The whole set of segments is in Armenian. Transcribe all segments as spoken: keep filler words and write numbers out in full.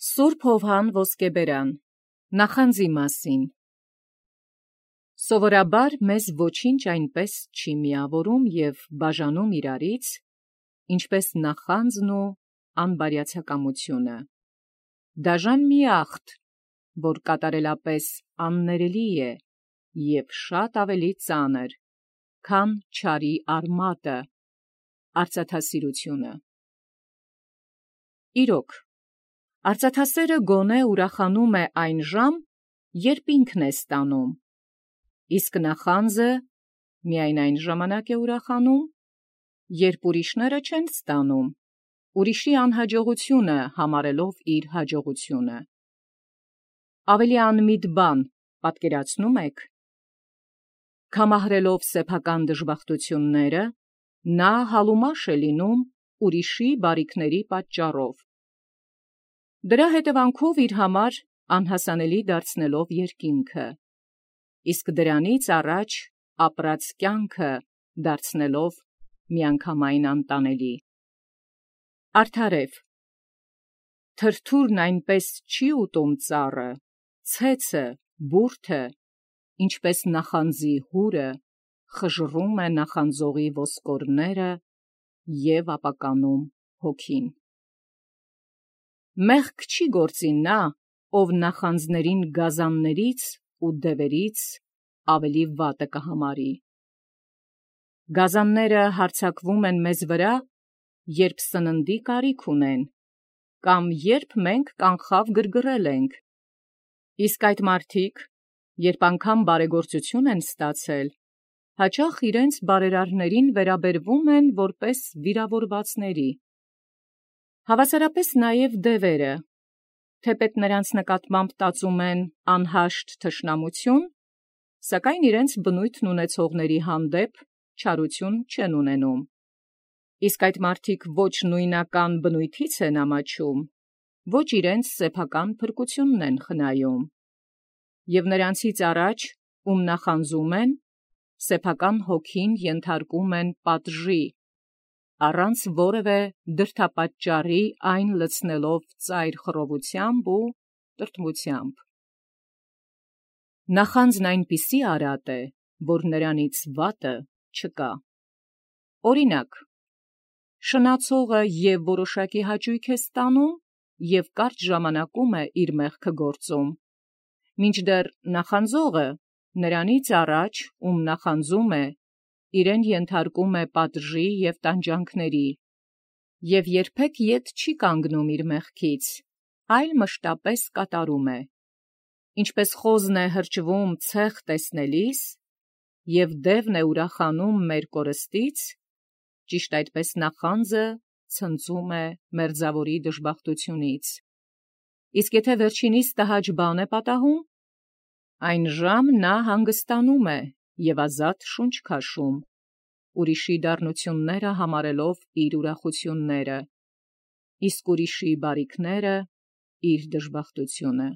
Սուրբ Հովհան Ոսկեբերան նախանձի մասին Սովորաբար մեզ ոչինչ այնպես չի միավորում և բաժանում իրարից, ինչպես նախանձն ու անբարյացակամությունը։ Դաժան մի աղթ, որ կատարելապես աններելի է և շատ ավելի ծանր, քան չարի արմատը, արծաթասիրությունը։ Իրոք, արծաթասերը գոնե ուրախանում է այն ժամ, երբ ինքն է ստանում, իսկ նախանձը միայն այն ժամանակ է ուրախանում, երբ ուրիշները չեն ստանում, ուրիշի անհաջողությունը համարելով իր հաջողությունը։ Ավելի անմիտ բան պատկերացնո՞ւմ եք։ Քամահրելով սեփական դժբախտությունները, նա հալումաշ է լինում ուրիշի բարիքների պատճառով, դրա հետևանքով իր համար անհասանելի դարձնելով երկինքը, իսկ դրանից առաջ ապրած կյանքը դարձնելով միանգամայն անտանելի։ Արդարև, թրթուրն այնպես չի ուտում ծառը, ցեցը, բուրդը, ինչպես նախանձի հուրը խժռում է նախանձողի ոսկորները և ապականում հոգին։ Մեղք չի գործի նա, ով նախանձներին գազաններից ու դևերից ավելի վատը կհամարի։ Գազանները հարձակվում են մեզ վրա, երբ սննդի կարիք ունեն, կամ երբ մենք կանխավ գրգռել ենք, իսկ այդ մարդիկ, երբ անգամ բարեգործություն են ստացել, հաճախ իրենց բարերարներին վերաբերվում են որպես վիրավորվածների։ Հավասարապես նաև դևերը, թեպետ նրանց նկատմամբ տածում են անհաշտ թշնամություն, սակայն իրենց բնույթն ունեցողների հանդեպ չարություն չեն ունենում, իսկ այդ մարդիկ ոչ նույնական բնույթից են ամաչում, ոչ իրենց սեփական փրկությունն են խնայում, և նրանցից առաջ, ում նախանձում են, սեփական հոգին ենթարկում են պատժի, առանց որևէ դրդապատճառի այն լցնելով ծայր խռովությամբ ու տրտմությամբ։ Նախանձն այնպիսի արատ է, որ նրանից վատը չկա։ Օրինակ, շնացողը և որոշակի հաճույք է ստանում և կարճ ժամանակում է իր մեղքը գործում, մինչդեռ նախանձողը նրանից առաջ, ում նախանձում է, իրեն ենթարկում է պատժի և տանջանքների, և երբեք ետ չի կանգնում իր մեղքից, այլ մշտապես կատարում է, ինչպես խոզն է հրճվում ցեխ տեսնելիս, և դևն է ուրախանում մեր կորստից, ճիշտ այդպես նախանձը ցնծում է մերձավորի դժբախտությունից, իսկ եթե վերջինիս տհաճ բան է պատահում, այն ժամ նա հանգստանում է և ազատ շունչ քաշում, ուրիշի դառնությունները համարելով իր ուրախությունները, իսկ ուրիշի բարիքները իր դժբախտությունը։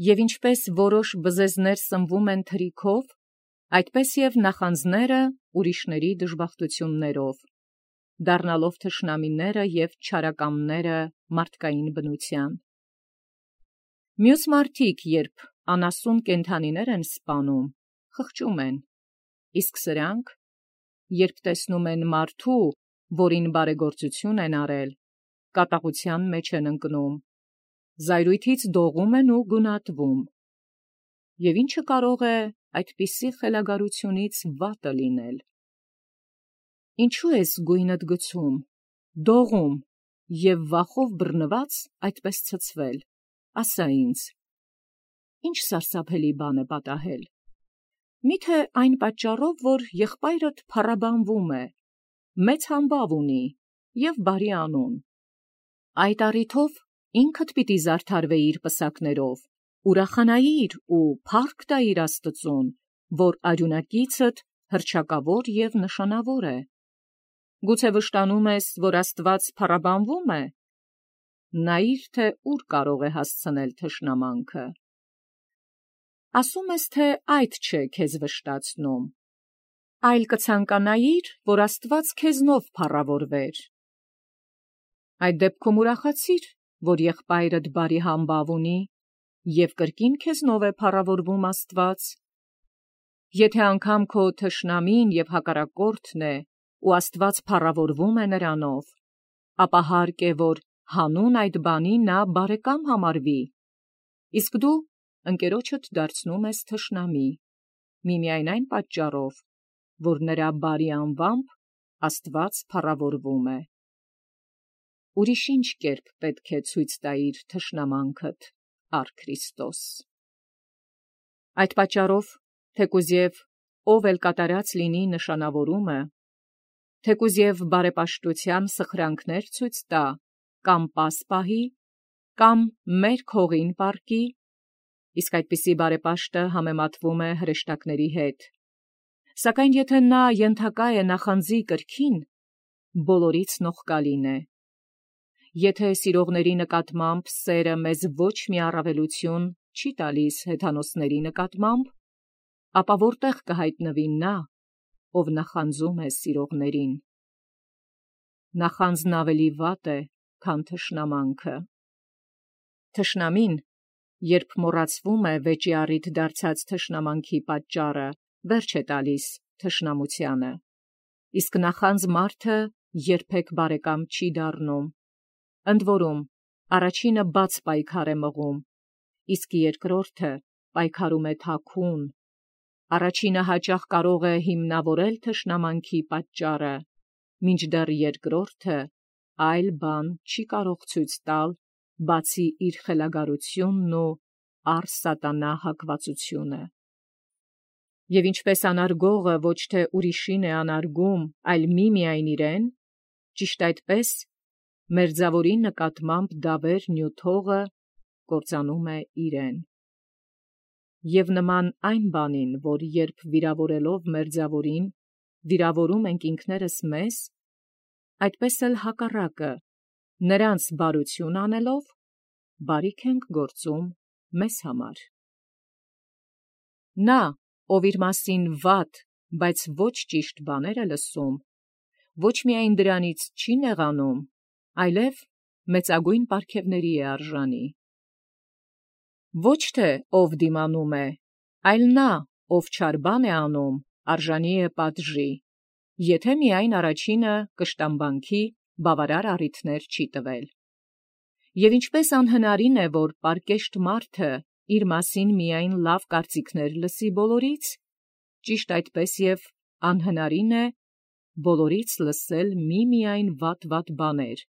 Եվ ինչպես որոշ բզեզներ սնվում են թրիքով, այդպես և նախանձները ուրիշների դժբախտություններով, դառնալով թշնամիները և չարակամները մարդկային բնության։ Մյուս մարդիկ, երբ անասուն կենդանիներ են սպանում, խղճում են, իսկ սրանք, երբ տեսնում են մարդու, որին բարեգործություն են արել, կատաղության մեջ են ընկնում, զայրույթից դողում են ու գունատվում։ Եվ ի՞նչը կարող է այդպիսի խելագարությունից վատը լինել։ Ինչո՞ւ ես գույնդ գցում, դողում և վախով բռնված այդպես ցցվել, ասա ինձ, ի՞նչ սարսափելի բան է պատահել։ Մի՞թե այն պատճառով, որ եղբայրդ փառաբանվում է, մեծ համբավ ունի և բարի անուն։ Այդ առիթով ինքդ պիտի զարդարվեիր պսակներով, ուրախանայիր ու փառք տայիր Աստծուն, որ արյունակիցդ հռչակավոր և նշանավոր է։ Գուցե վշտանում ես, որ Աստված փառաբանվում է, նայիր, թե ուր կարող է հասցնել թշնամանքը։ Ասում ես, թե այդ չէ քեզ վշտացնում, այլ կցանկանայիր, որ Աստված քեզնով փառավորվեր։ Այդ դեպքում ուրախացիր, որ եղբայրդ բարի համբավ ունի, և կրկին քեզնով է փառավորվում Աստված։ Եթե անգամ քո թշնամին և հակառակորդն է, ու Աստված փառավորվում է նրանով, ապա հարկ է, որ հանուն այդ բանի նա բարեկամ համարվի, իսկ դու ընկերոջդ դարձնում ես թշնամի, միմիայն այն պատճառով, որ նրա բարի անվամբ Աստված փառավորվում է։ Ուրիշ ինչ կերպ պետք է ցույց տայիր թշնամանքդ, առ Քրիստոս։ Այդ պատճառով, թեկուզ և ով էլ կատարած լինի նշանավորումը, թեկուզ և բարեպաշտության սխրանքներ ցույց տա, կամ պաս պահի, կամ մերկ հողին պառկի, իսկ այդպիսի բարեպաշտը համեմատվում է հրեշտակների հետ, սակայն եթե նա ենթակա է նախանձի կրքին, բոլորից նողկալին է։ Եթե սիրողների նկատմամբ սերը մեզ ոչ մի առավելություն չի տալիս հեթանոսների նկատմամբ, ապա որտեղ կհայտնվի նա, ով նախանձում է սիրողներին։ Նախանձն ավելի վատ է, քան թշնամանքը։ Թշնամին, երբ մոռացվում է վեճի առիթ դարձած թշնամանքի պատճառը, վերջ է տալիս թշնամությանը, իսկ նախանձ մարդը երբեք բարեկամ չի դառնում, ընդ որում առաջինը բաց պայքար է մղում, իսկ երկրորդը պայքարում է թաքուն, առաջինը հաճախ կարող է հիմնավորել թշնամանքի պատճառը, մինչդեռ երկրորդը այլ բան չի կարող ցույց տալ, բացի իր խելագարությունն ու առ սատանա հակվածությունը։ Եվ ինչպես անարգողը ոչ թե ուրիշին է անարգում, այլ միմիայն իրեն, ճիշտ այդպես մերձավորի նկատմամբ դավեր նյութողը կործանում է իրեն։ Եվ նման այն բանին, որ երբ վիրավորելով մերձավորին, վիրավորում ենք ինքներս մեզ, այդպես էլ հակառակը, նրանց բարություն անելով, բարիք ենք գործում մեզ համար։ Նա, ով իր մասին վատ, բայց ոչ ճիշտ բաներ է լսում, ոչ միայն դրանից չի նեղանում, այլև մեծագույն պարգևների է արժանի։ Ոչ թե ով դիմանում է, այլ նա, ով չար բան է անում, արժանի է պատժի, եթե միայն առաջինը կշտամբանքի բավարար առիթներ չի տվել։ Եվ ինչպես անհնարին է, որ պարկեշտ մարդը իր մասին միայն լավ կարծիքներ լսի բոլորից, ճիշտ այդպես և անհնարին է բոլորից լսել միմիայն վատ-վատ բաներ,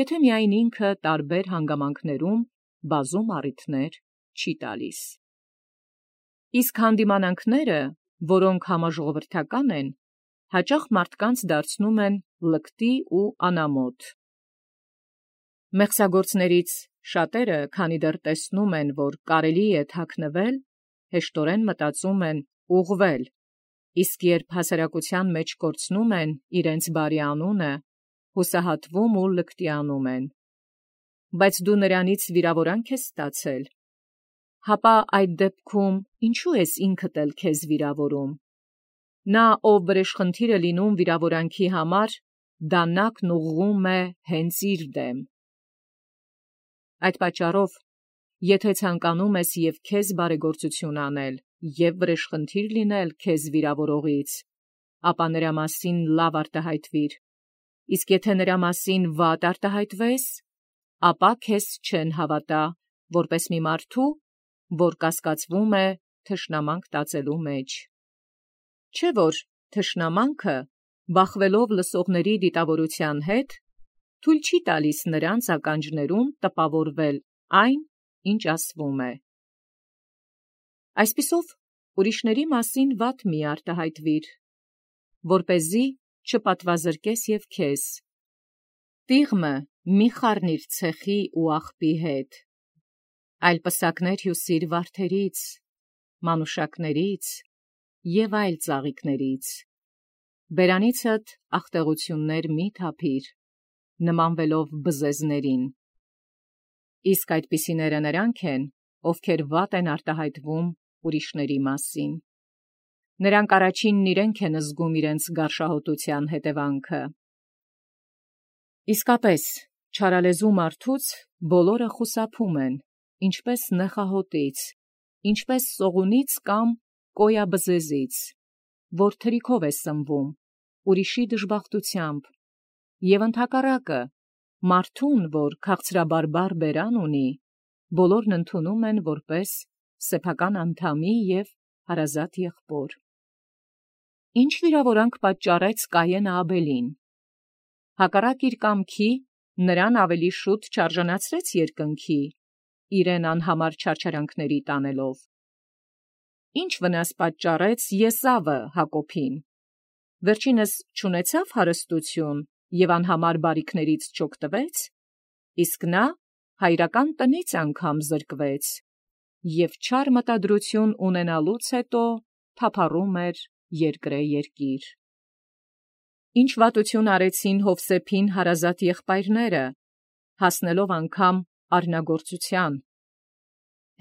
եթե միայն ինքը տարբեր հանգամանքներում բազում առիթներ չի տալիս։ Իսկ հանդիմանանքները, որոնք համաժողովրդական են, հաճախ մարդկանց դարձնում են լկտի ու անամոթ։ Մեղսագործներից շատերը, քանի դեռ տեսնում են, որ կարելի է թաքնվել, հեշտորեն մտածում են ուղղվել, իսկ երբ հասարակության մեջ կորցնում են իրենց բարի անունը, հուսահատվում ու լկտիանում են։ Բայց դու նրանից վիրավորանք ես ստացել, հապա այդ դեպքում ինչու ես ինքդ էլ քեզ վիրավորում։ Նա, ով վրեժխնդիր է լինում վիրավորանքի համար, դանակն ուղղում է հենց իր դեմ։ Այդ պատճառով, եթե ցանկանում ես և քեզ բարեգործություն անել, և վրեժխնդիր լինել քեզ վիրավորողից, ապա նրա մասին լավ արտահայտվիր, իսկ եթե նրա մասին վատ արտահայտվես, ապա քեզ չեն հավատա, որպես մի մարդու, որ կասկածվում է թշնամանք տածելու մեջ։ Չէ՞ որ թշնամանքը, բախվելով լսողների դիտավորության հետ, թույլ չի տալիս նրանց ականջներում տպավորվել այն, ինչ ասվում է։ Այսպիսով, ուրիշների մասին վատ մի արտահայտվիր, որպեսզի չպատվազրկես և քեզ։ Տիղմը մի խառնիր ցեխի ու աղբի հետ, այլ պսակներ հյուսիր վարդերից, մանուշակներից և այլ ծաղիկներից։ Բերանիցդ ախտեղություններ մի թափիր, նմանվելով բզեզներին։ Իսկ այդպիսիները նրանք են, ովքեր վատ են արտահայտվում ուրիշների մասին։ Նրանք առաջինն իրենք են զգում իրենց գարշահոտության հետևանքը։ Իսկապես, Չարալեզու մարդուց բոլորը խուսափում են, ինչպես նեխահոտից, ինչպես սողունից կամ կոյաբզեզից, որ թրիքով է սնվում, ուրիշի դժբախտությամբ, և ընդհակառակը, մարդուն, որ քաղցրաբարբար բերան ունի, բոլորն ընդունում են որպես սեփական անդամի և հարազատ եղբոր։ Ինչ վիրավորանք պատճառեց Կայենը Աբելին։ Հակառակ իր կամքի, նրան ավելի շուտ չարժանացրեց երկնքի, իրեն անհամար չարչարանքների տանելով։ Ինչ վնաս պատճառեց Եսավը Հակոբին։ Վերջինս չունեցավ հարստություն և անհամար բարիքներից չօգտվեց, իսկ նա հայրական տնից անգամ զրկվեց, և չար մտադրություն ունենալուց հետո թափառում էր երկրե երկիր։ Ինչ վատություն արեցին Յովսեփին հարազատ եղբայրները, հասնելով անգամ արնագործության։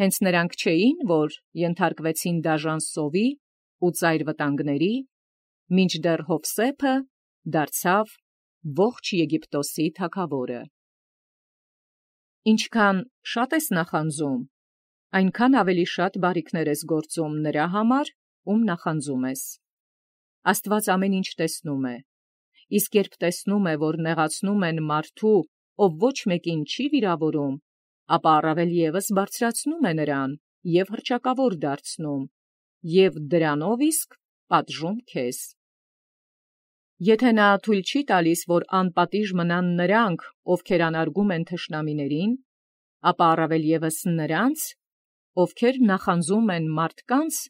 Հենց նրանք չէին, որ ենթարկվեցին դաժան սովի ու ծայր վտանգների, մինչդեռ Յովսեփը դարձավ ողջ Եգիպտոսի թագավորը։ Ինչքան շատ ես նախանձում, այնքան ավելի շատ բարիքներ ես գործում նրա համար, ում նախանձում ես։ Աստված ամեն ինչ տեսնում է, իսկ երբ տեսնում է, որ նեղացնում են մարդու, ով ոչ մեկին չի վիրավորում, ապա առավել ևս բարձրացնում է նրան և հռչակավոր դարձնում, և դրանով իսկ պատժում քեզ։ Եթե նա թույլ չի տալիս, որ անպատիժ մնան նրանք, ովքեր անարգում են թշնամիներին, ապա առավել ևս նրանց, ովքեր նախանձում են մարդկանց,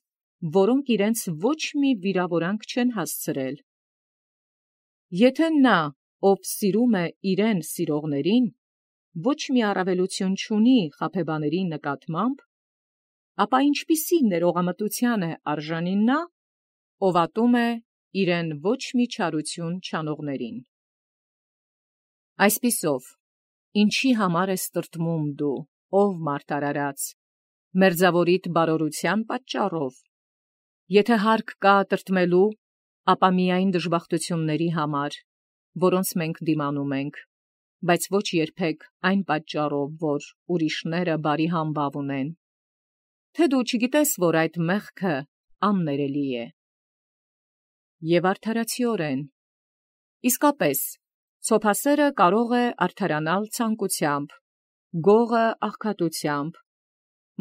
որոնք իրենց ոչ մի վիրավորանք չեն հասցրել։ Եթե նա, ով սիրում է իրեն սիրողներին, ոչ մի առավելություն չունի խաբեբաների նկատմամբ, ապա ինչպիսի ներողամտության է արժանի նա, ով ատում է իրեն ոչ մի չարություն չանողներին։ Այսպիսով, ինչի համար ես տրտմում դու, ով մարդ արարած, մերձավորիդ բարօրության պատճառով։ Եթե հարկ կա տրտմելու, ապա միայն դժբախտությունների համար, որոնց մենք դիմանում ենք, բայց ոչ երբեք այն պատճառով, որ ուրիշները բարի համբավ ունեն։ Թե դու չգիտես, որ այդ մեղքը աններելի է։ Եվ արդարացիորեն։ Իսկապես, ցոփասերը կարող է արդարանալ ցանկությամբ, գողը աղքատությամբ,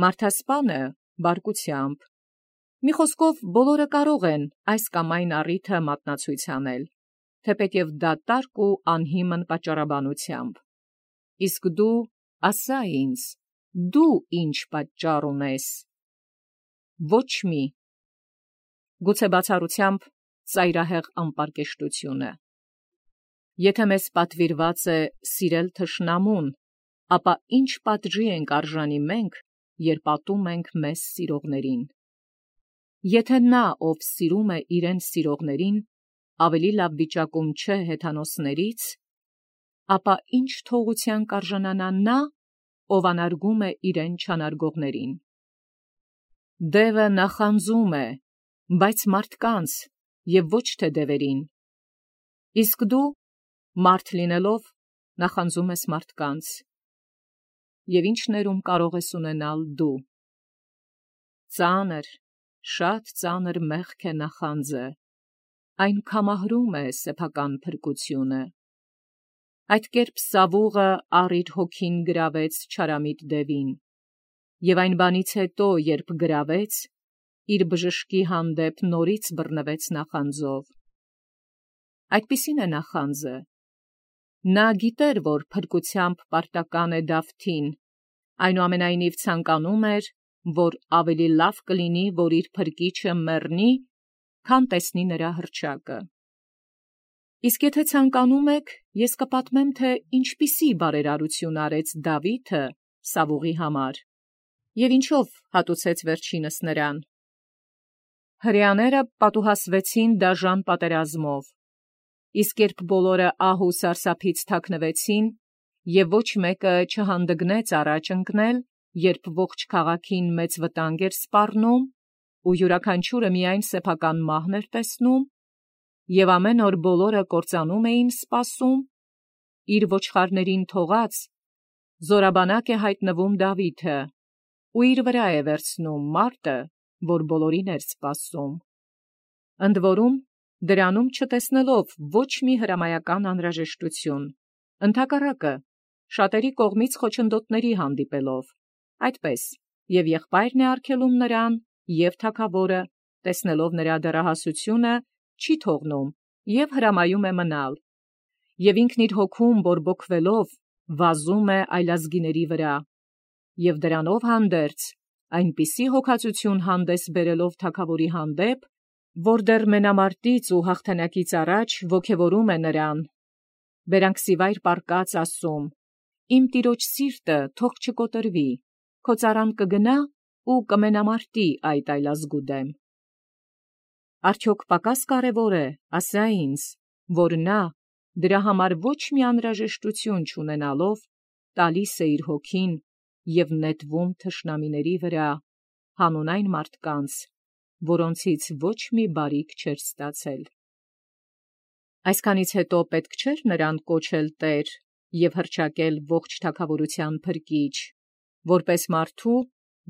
մարդասպանը բարկությամբ։ Մի խոսքով, բոլորը կարող են այս կամ այն առիթը մատնացույց անել, թեպետև դատարկ ու անհիմն պատճառաբանությամբ։ Իսկ դու ասա ինձ, դու ինչ պատճառ ունես։ Ոչ մի։ Գուցե բացառությամբ ծայրահեղ անպարկեշտությունը։ Եթե մեզ պատվիրված է սիրել թշնամուն, ապա ինչ պատժի ենք արժանի մենք, երբ ատում ենք մեզ սիրողներին։ Եթե նա, ով սիրում է իրեն սիրողներին, ավելի լավ վիճակում չէ հեթանոսներից, ապա ինչ թողության կարժանանա նա, ով անարգում է իրեն չանարգողներին։ Դևը նախանձում է, բայց մարդկանց և ոչ թե դևերին, իսկ դու, մարդ լինելով, նախանձում ես մարդկանց։ Եվ ինչ ներում կարող ես ունենալ դու։ Ծանր, շատ ծանր մեղք է նախանձը, այն կամահրում է սեփական փրկությունը։ Այդ կերպ Սավուղը առ իր հոգին գրավեց չարամիտ դևին, և այն բանից հետո, երբ գրավեց, իր բժշկի հանդեպ նորից բռնվեց նախանձով։ Այդպիսին է նախանձը։ Նա գիտեր, որ փրկությամբ պարտական է Դավթին, այնուամենայնիվ ցանկանում էր, որ ավելի լավ կլինի, որ իր փրկիչը մեռնի, քան տեսնի նրա հռչակը։ Իսկ եթե ցանկանում եք, ես կպատմեմ, թե ինչպիսի բարերարություն արեց Դավիթը Սավուղի համար, և ինչով հատուցեց վերջինս նրան։ Հրեաները պատուհասվեցին դաժան պատերազմով, իսկ երբ բոլորը ահ ու սարսափից թաքնվեցին, և ոչ մեկը չհանդգնեց առաջ ընկնել, երբ ողջ քաղաքին մեծ վտանգ էր սպառնում, ու յուրաքանչյուրը միայն սեփական մահն էր տեսնում, և ամեն օր բոլորը կործանում էին սպասում, իր ոչխարներին թողած, զորաբանակ է հայտնվում Դավիթը, ու իր վրա է վերցնում մարտը, որ բոլորին էր սպասում։ Ընդ որում, դրանում չտեսնելով ոչ մի հրամայական անհրաժեշտություն, ընդհակառակը, շատերի կողմից խոչընդոտների հանդիպելով, այդպես և եղբայրն է արգելում նրան, և թագավորը, տեսնելով նրա դեռահասությունը, չի թողնում և հրամայում է մնալ, և ինքն իր հոգում բորբոքվելով վազում է այլազգիների վրա, և դրանով հանդերձ այնպիսի հոգածություն հանդես բերելով թագավորի հանդեպ, որ դեռ մենամարտից ու հաղթանակից առաջ ոգևորում է նրան, բերանքսիվայր պառկած ասում. «Իմ տիրոջ սիրտը թող չկոտրվի, քո ծառան կգնա ու կմենամարտի այդ այլազգու դեմ»։ Արդյոք պակաս կարևոր է ասա ինձ, որ նա, դրա համար ոչ մի անհրաժեշտություն չունենալով, տալիս է իր հոգին և նետվում թշնամիների վրա, հանուն այն մարդկանց, որոնցից ոչ մի բարիք չէր ստացել։ Այսքանից հետո պետք չէր նրան կոչել տեր և հռչակել ողջ թագավորության փրկիչ, որպես մարդու,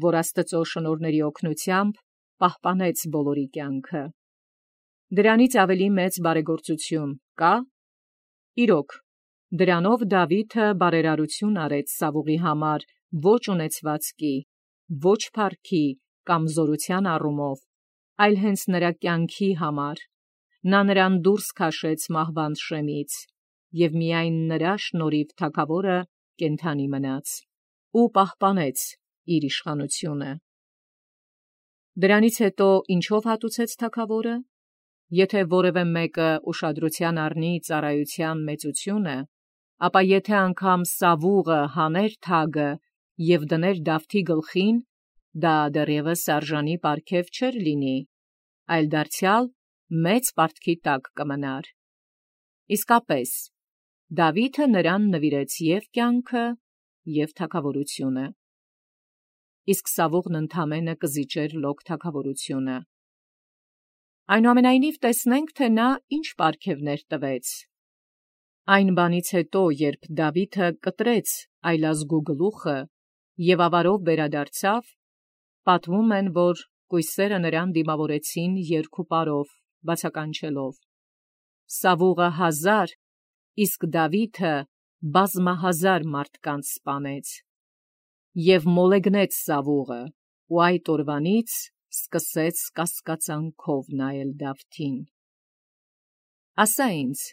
որ Աստծո շնորհների օգնությամբ պահպանեց բոլորի կյանքը։ Դրանից ավելի մեծ բարեգործություն կա՞։ Իրոք, դրանով Դավիթը բարերարություն արեց Սավուղի համար ոչ ունեցվածքի, ոչ փառքի կամ զորության առումով, այլ հենց նրա կյանքի համար. նա նրան դուրս քաշեց մահվան շեմից, և միայն նրա շնորհիվ թագավորը կենդանի մնաց ու պահպանեց իր իշխանությունը։ Դրանից հետո ինչով հատուցեց թագավորը։ Եթե որևէ մեկը ուշադրության առնի ծառայության մեծությունը, ապա եթե անգամ Սավուղը հաներ թագը և դներ Դավթի գլխին, դա դեռևս արժանի պարգև չէր լինի, այլ դարձյալ մեծ պարտքի տակ կմնար։ Իսկապես, Դավիթը նրան նվիրեց և կյանքը, և թագավորությունը։ Իսկ Սավուղն ընդամենը կզիջեր լոկ թագավորությունը։ Այնուամենայնիվ տեսնենք, թե նա ինչ պարգևներ տվեց։ Այն բանից հետո, երբ Դավիթը կտրեց այլազգու գլուխը և ավարով վերադարձավ, պատմում են, որ կույսերը նրան դիմավորեցին երգ ու պարով, բացականչելով. «Սավուղը հազար, իսկ Դավիթը բազմահազար մարդկանց սպանեց»։ Եվ մոլեգնեց Սավուղը, ու այդ օրվանից սկսեց կասկածանքով նայել Դավթին։ Ասա ինձ,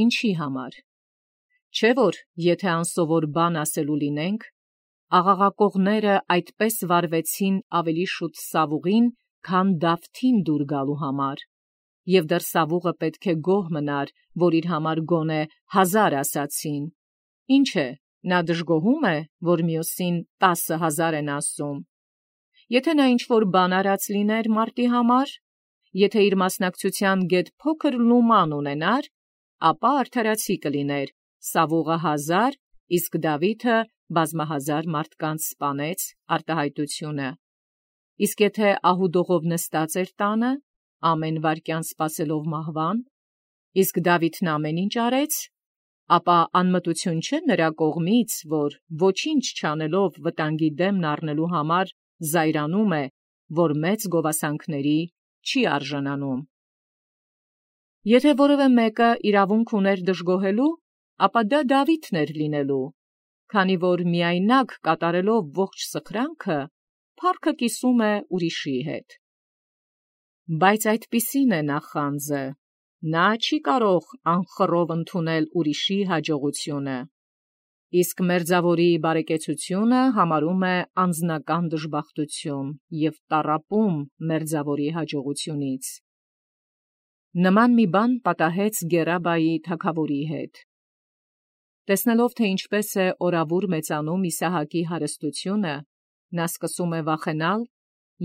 ինչի համար։ Չէ՞ որ եթե անսովոր բան ասելու լինենք, աղաղակողները այդպես վարվեցին ավելի շուտ Սավուղին, քան Դավթին դուր գալու համար, և դեռ Սավուղը պետք է գոհ մնար, որ իր համար գոնե հազար ասացին։ Ինչ է, նա դժգոհում է, որ մյուսին տասը հազար են ասում։ Եթե նա ինչ-որ բան արած լիներ մարտի համար, եթե իր մասնակցության գեթ փոքր լուման ունենար, ապա արդարացի կլիներ. Սավուղը հազար, իսկ Դավիթը բազմահազար մարդկանց սպանեց արտահայտությունը։ Իսկ եթե ահուդողով նստած էր տանը, ամեն վայրկյան սպասելով մահվան, իսկ Դավիթն ամեն ինչ արեց, ապա անմտություն չէ նրա կողմից, որ ոչինչ չանելով վտանգի դեմն առնելու համար զայրանում է, որ մեծ գովասանքների չի արժանանում։ Եթե որևէ մեկը իրավունք ուներ դժգոհելու, ապա դա Դավիթն էր լինելու, քանի որ միայնակ կատարելով ողջ սխրանքը, փառքը կիսում է ուրիշի հետ։ Բայց այդպիսին է նախանձը. նա չի կարող անխռով ընդունել ուրիշի հաջողությունը, իսկ մերձավորի բարեկեցությունը համարում է անձնական դժբախտություն և տառապում մերձավորի հաջողությունից։ Նման մի բան պատահեց Գերաբայի թագավորի հետ։ Տեսնելով, թե ինչպես է օրավուր մեծանում Իսահակի հարստությունը, նա սկսում է վախենալ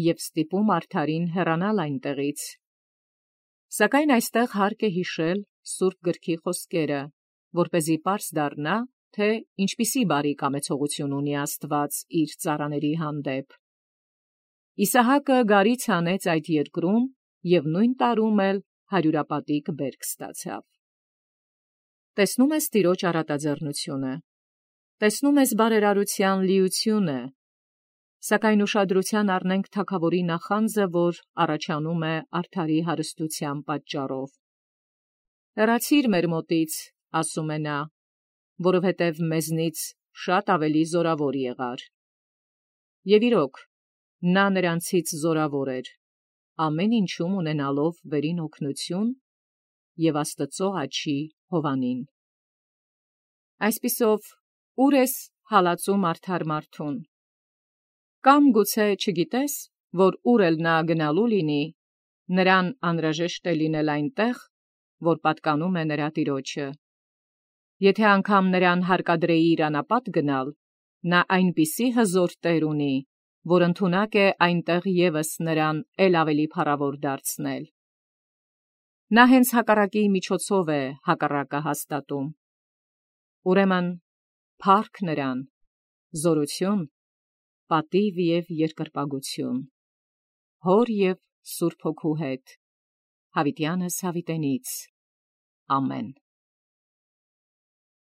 և ստիպում արդարին հեռանալ այնտեղից։ Սակայն այստեղ հարկ է հիշել Սուրբ Գրքի խոսքերը, որպեսզի պարզ դառնա, թե ինչպիսի բարի կամեցողություն ունի Աստված իր ծառաների հանդեպ։ Իսահակը գարից հանեց այդ երկրում և նույն տարում էլ հարյուրապատիկ բերք ստացավ։ տեսնում ես Տիրոջ առատաձեռնությունը, տեսնում ես բարերարության լիությունը, սակայն ուշադրության առնենք թագավորի նախանձը, որ առաջանում է արդարի հարստության պատճառով։ Հեռացիր մեր մոտից, ասում է նա, որովհետև մեզնից շատ ավելի զորավոր եղար։ Եվ իրոք, նա նրանցից զորավոր էր, ամեն ինչում ունենալով վերին օգնություն և Աստծո աջի հովանին։ Այսպիսով, ուր ես հալածում արդար մարդուն, կամ գուցե չգիտես, որ ուր էլ նա գնալու լինի, նրան անհրաժեշտ է լինել այնտեղ, որ պատկանում է նրա տիրոջը։ Եթե անգամ նրան հարկադրեի իր անապատ գնալ, նա այնպիսի հզոր տեր ունի, որ ընդունակ է այնտեղ ևս նրան էլ ավելի փառավոր դարձնել։ Նա հենց հակառակի միջոցով է հակառակը հաստատում։ Ուրեմն փառք նրան, զորություն, պատիվ և երկրպագություն, Հոր և Սուրբ Հոգու հետ, հավիտյանս հավիտենից։ Ամեն։